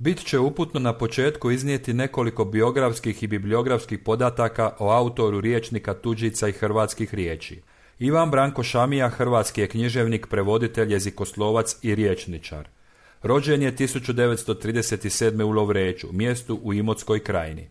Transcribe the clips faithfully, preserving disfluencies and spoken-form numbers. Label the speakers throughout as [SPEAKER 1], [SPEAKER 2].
[SPEAKER 1] Bit će uputno na početku iznijeti nekoliko biografskih i bibliografskih podataka o autoru rječnika tuđica i hrvatskih riječi. Ivan Branko Šamija, hrvatski je književnik, prevoditelj, jezikoslovac i rječničar. Rođen je tisuću devetsto trideset sedme u Lovreču, mjestu u Imotskoj krajini.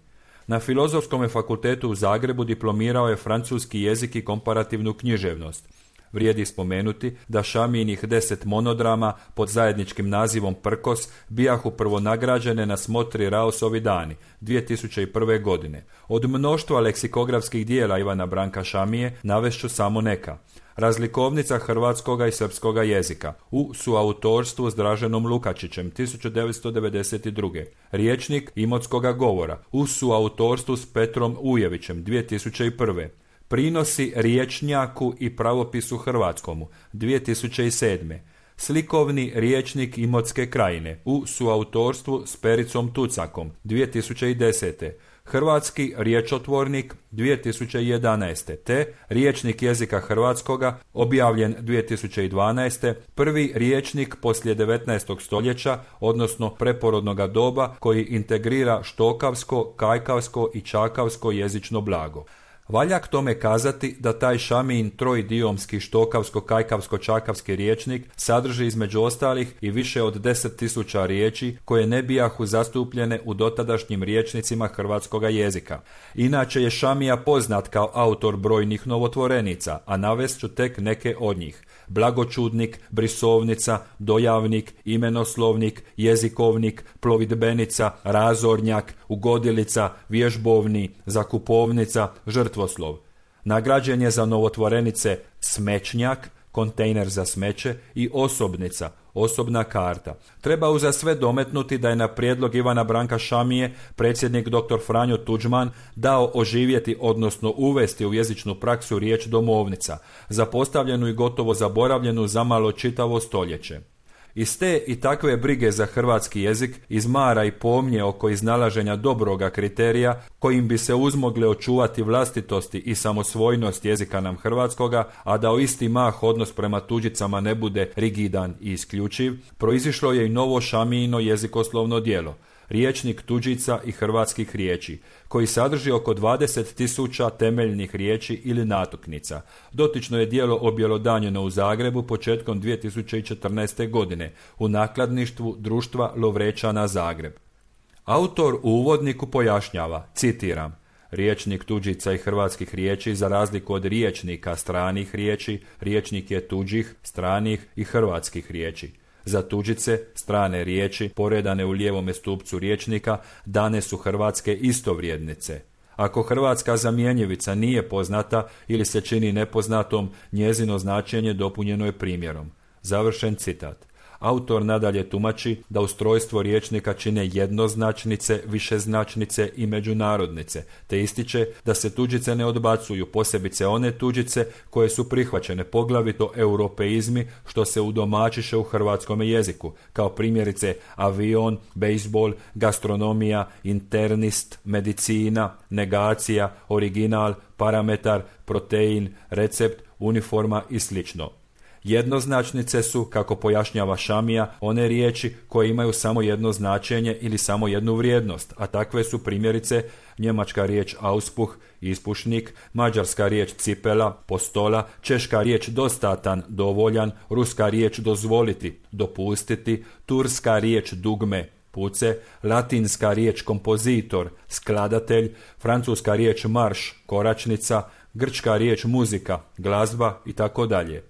[SPEAKER 1] Na Filozofskom fakultetu u Zagrebu diplomirao je francuski jezik i komparativnu književnost. Vrijedi spomenuti da Šamijinih deset monodrama pod zajedničkim nazivom Prkos bijahu prvo nagrađene na smotri Raosovi dani dvije tisuće prve. godine. Od mnoštva leksikografskih dijela Ivana Branka Šamije navešću samo neka. Razlikovnica hrvatskoga i srpskoga jezika u suautorstvu s Draženom Lukačićem tisuću devetsto devedeset druge. Rječnik imotskoga govora u suautorstvu s Petrom Ujevićem dvije tisuće prve. Prinosi rječnjaku i pravopisu hrvatskomu dvije tisuće sedme. Slikovni rječnik Imotske krajine u suautorstvu s Pericom Tucakom dvije tisuće desete. Hrvatski riječotvornik dvije tisuće jedanaeste. te Rječnik jezika hrvatskoga objavljen dvije tisuće dvanaeste. Prvi rječnik poslije devetnaestog stoljeća, odnosno preporodnoga doba koji integrira štokavsko, kajkavsko i čakavsko jezično blago. Valja k tome kazati da taj Šamijin trojdijomski štokavsko-kajkavsko-čakavski rječnik sadrži između ostalih i više od deset tisuća riječi koje ne bijahu zastupljene u dotadašnjim rječnicima hrvatskoga jezika. Inače je Šamija poznat kao autor brojnih novotvorenica, a navest ću tek neke od njih. Blagočudnik, brisovnica, dojavnik, imenoslovnik, jezikovnik, plovidbenica, razornjak, ugodilica, vježbovni, zakupovnica, žrtvoslov. Nagrađen je za novotvorenice smećnjak, kontejner za smeće i osobnica, osobna karta. Treba uza sve dometnuti da je na prijedlog Ivana Branka Šamije predsjednik doktor Franjo Tuđman dao oživjeti, odnosno uvesti u jezičnu praksu riječ domovnica, zapostavljenu i gotovo zaboravljenu zamalo čitavo stoljeće. Iz te i takve brige za hrvatski jezik, iz mara i pomnje oko iznalaženja dobroga kriterija kojim bi se uzmogle očuvati vlastitosti i samosvojnost jezika nam hrvatskoga, a da o isti mah odnos prema tuđicama ne bude rigidan i isključiv, proizišlo je i novo Šamijino jezikoslovno djelo, Rječnik tuđica i hrvatskih riječi, koji sadrži oko dvadeset tisuća temeljnih riječi ili natuknica. Dotično je djelo objelodanjeno u Zagrebu početkom dvije tisuće četrnaeste. godine u nakladništvu Društva Lovrečana Zagreb. Autor u uvodniku pojašnjava, citiram: Rječnik tuđica i hrvatskih riječi, za razliku od rječnika stranih riječi, rječnik je tuđih, stranih i hrvatskih riječi. Za tuđice, strane riječi, poredane u lijevome stupcu rječnika, dane su hrvatske istovrijednice. Ako hrvatska zamjenjivica nije poznata ili se čini nepoznatom, njezino značenje dopunjeno je primjerom. Završen citat. Autor nadalje tumači da ustrojstvo rječnika čine jednoznačnice, višeznačnice i međunarodnice, te ističe da se tuđice ne odbacuju, posebice one tuđice koje su prihvaćene, poglavito europeizmi što se udomačiše u hrvatskom jeziku, kao primjerice avion, bejsbol, gastronomija, internist, medicina, negacija, original, parametar, protein, recept, uniforma i slično. Jednoznačnice su, kako pojašnjava Šamija, one riječi koje imaju samo jedno značenje ili samo jednu vrijednost, a takve su primjerice njemačka riječ auspuh, ispušnik, mađarska riječ cipela, postola, češka riječ dostatan, dovoljan, ruska riječ dozvoliti, dopustiti, turska riječ dugme, puce, latinska riječ kompozitor, skladatelj, francuska riječ marš, koračnica, grčka riječ muzika, glazba i tako dalje.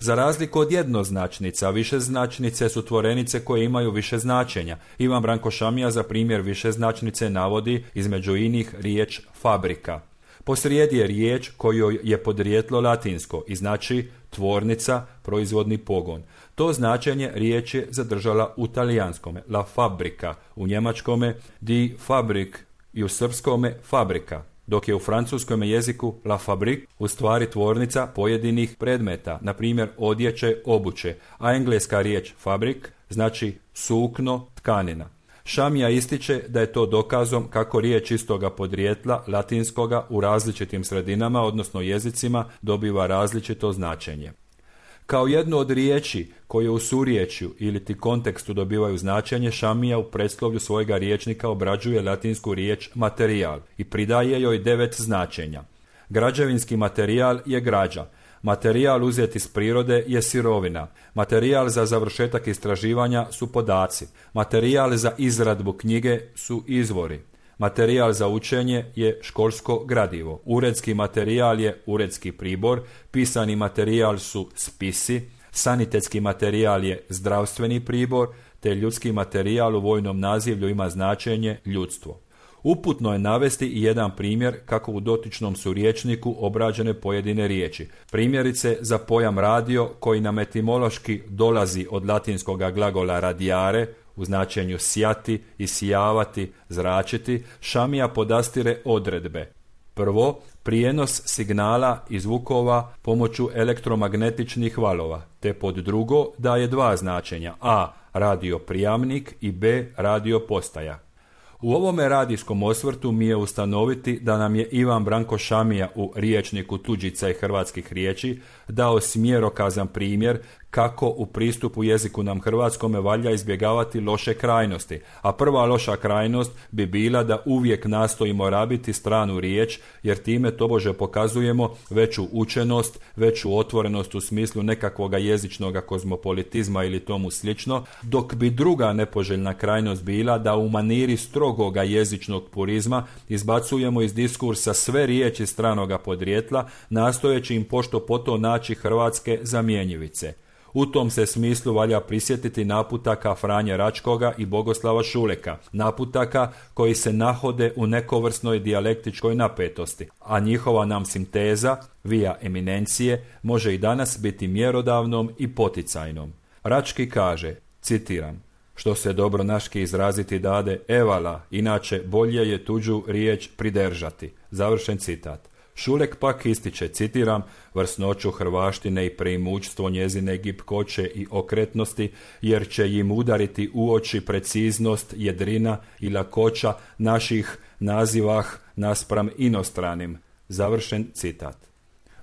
[SPEAKER 1] Za razliku od jednoznačnica, višeznačnice su tvorenice koje imaju više značenja. Ivan Branko Šamija za primjer višeznačnice navodi između inih riječ fabrika. Posrijedi je riječ kojoj je podrijetlo latinsko i znači tvornica, proizvodni pogon. To značenje riječ je zadržala u talijanskome, la fabrica, u njemačkome die Fabrik i u srpskome fabrika, dok je u francuskom jeziku la fabrique u stvari tvornica pojedinih predmeta, na primjer odjeće, obuće, a engleska riječ fabrik znači sukno, tkanina. Šamija ističe da je to dokazom kako riječ istoga podrijetla latinskoga u različitim sredinama, odnosno jezicima, dobiva različito značenje. Kao jednu od riječi koje u suriječju ili ti kontekstu dobivaju značenje, Šamija u predslovlju svojega riječnika obrađuje latinsku riječ materijal i pridaje joj devet značenja. Građevinski materijal je građa. Materijal uzet iz prirode je sirovina. Materijal za završetak istraživanja su podaci. Materijal za izradbu knjige su izvori. Materijal za učenje je školsko gradivo. Uredski materijal je uredski pribor. Pisani materijal su spisi. Sanitetski materijal je zdravstveni pribor, te ljudski materijal u vojnom nazivlju ima značenje ljudstvo. Uputno je navesti i jedan primjer kako u dotičnom su riječniku obrađene pojedine riječi. Primjerice za pojam radio, koji nam etimološki dolazi od latinskoga glagola radiare, u značenju sjati, isijavati, zračiti, Šamija podastire odredbe. Prvo, prijenos signala i zvukova pomoću elektromagnetičnih valova, te pod drugo daje dva značenja, a. radio prijamnik i b. radio postaja. U ovome radijskom osvrtu mi je ustanoviti da nam je Ivan Branko Šamija u riječniku tuđica i hrvatskih riječi dao smjerokazan primjer kako u pristupu jeziku nam hrvatskome valja izbjegavati loše krajnosti, a prva loša krajnost bi bila da uvijek nastojimo rabiti stranu riječ, jer time tobože pokazujemo veću učenost, veću otvorenost u smislu nekakvoga jezičnog kozmopolitizma ili tomu slično, dok bi druga nepoželjna krajnost bila da u maniri strogoga jezičnog purizma izbacujemo iz diskursa sve riječi stranoga podrijetla, nastojeći im pošto poto naći hrvatske zamjenjivice. U tom se smislu valja prisjetiti naputaka Franje Račkoga i Bogoslava Šuleka, naputaka koji se nahode u nekovrsnoj dijalektičkoj napetosti, a njihova nam sinteza, via eminencije, može i danas biti mjerodavnom i poticajnom. Rački kaže, citiram, što se dobro naški izraziti dade evala, inače bolje je tuđu riječ pridržati. Završen citat. Šulek pak ističe, citiram, vrsnoću hrvaštine i preimućstvo njezine gibkoće i okretnosti, jer će im udariti u oči preciznost, jedrina i lakoća naših nazivah naspram inostranim. Završen citat.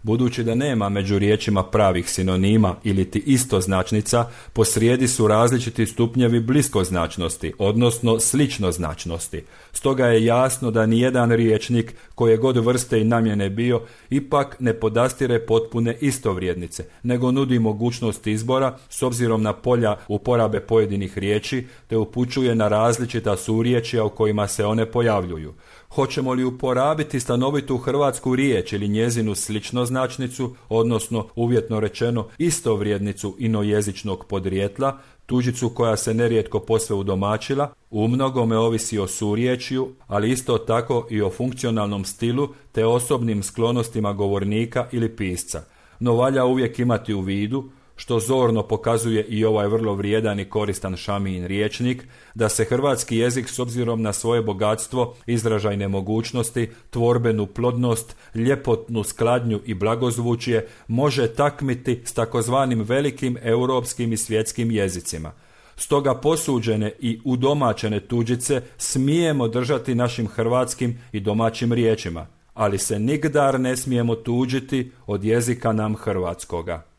[SPEAKER 1] Budući da nema među riječima pravih sinonima ili ti istoznačnica, posrijedi su različiti stupnjevi bliskoznačnosti, odnosno sličnoznačnosti. Stoga je jasno da nijedan riječnik, koje god vrste i namjene bio, ipak ne podastire potpune istovrijednice, nego nudi mogućnost izbora s obzirom na polja uporabe pojedinih riječi, te upućuje na različita surječja u kojima se one pojavljuju. Hoćemo li uporabiti stanovitu hrvatsku riječ ili njezinu sličnoznačnicu, odnosno uvjetno rečeno istovrijednicu inojezičnog podrijetla, tuđicu koja se nerijetko posve udomačila, u mnogome ovisi o surječju, ali isto tako i o funkcionalnom stilu te osobnim sklonostima govornika ili pisca. No valja uvijek imati u vidu, što zorno pokazuje i ovaj vrlo vrijedan i koristan Šamijin riječnik, da se hrvatski jezik s obzirom na svoje bogatstvo, izražajne mogućnosti, tvorbenu plodnost, ljepotnu skladnju i blagozvučje može takmiti s takozvanim velikim europskim i svjetskim jezicima. Stoga posuđene i udomačene tuđice smijemo držati našim hrvatskim i domaćim riječima, ali se nigdar ne smijemo tuđiti od jezika nam hrvatskoga.